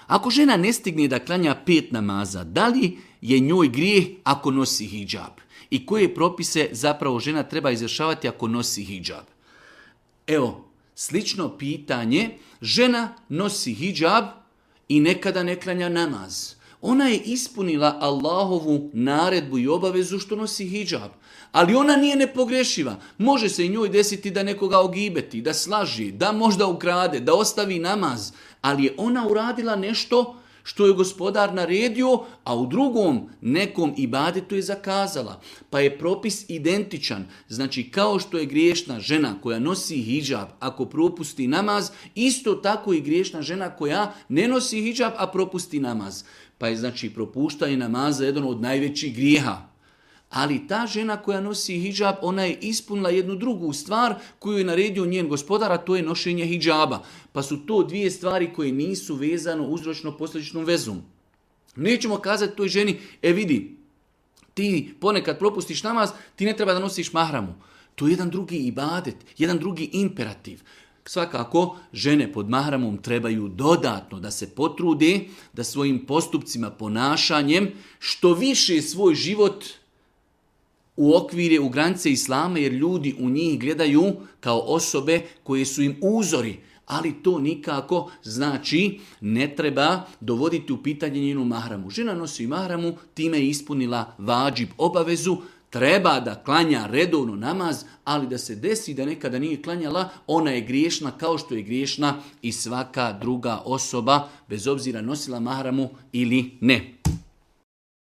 Ako žena ne stigne da klanja 5 namaza, da li je njoj grijeh ako nosi hidžab? I koje propise zapravo žena treba izvršavati ako nosi hidžab? Evo, slično pitanje, žena nosi hidžab i nekada ne klanja namaz. Ona je ispunila Allahovu naredbu i obavezu što nosi hidžab. Ali ona nije nepogrešiva. Može se i njoj desiti da nekoga ogibeti, da slaži, da možda ukrade, da ostavi namaz. Ali je ona uradila nešto što je gospodar naredio, a u drugom nekom ibadetu je zakazala. Pa je propis identičan. Znači kao što je griješna žena koja nosi hidžab ako propusti namaz, isto tako i griješna žena koja ne nosi hidžab a propusti namaz. Pa je znači propuštanje namaza jedan od najvećih grijeha. Ali ta žena koja nosi hidžab, ona je ispunila jednu drugu stvar koju je naredio njen gospodar, a to je nošenje hidžaba. Pa su to 2 stvari koje nisu vezano uzročno-posljedičnom vezom. Nećemo kazati toj ženi, vidi, ti ponekad propustiš namaz, ti ne treba da nosiš mahramu. To je jedan drugi ibadet, jedan drugi imperativ. Svakako, žene pod mahramom trebaju dodatno da se potrude, da svojim postupcima, ponašanjem, što više svoj život uokvire u granice Islama, jer ljudi u njih gledaju kao osobe koje su im uzori. Ali to nikako znači ne treba dovoditi u pitanje njenu mahramu. Žena nosi mahramu, time je ispunila vađib obavezu, treba da klanja redovno namaz, ali da se desi da nekada nije klanjala, ona je griješna kao što je griješna i svaka druga osoba, bez obzira nosila mahramu ili ne.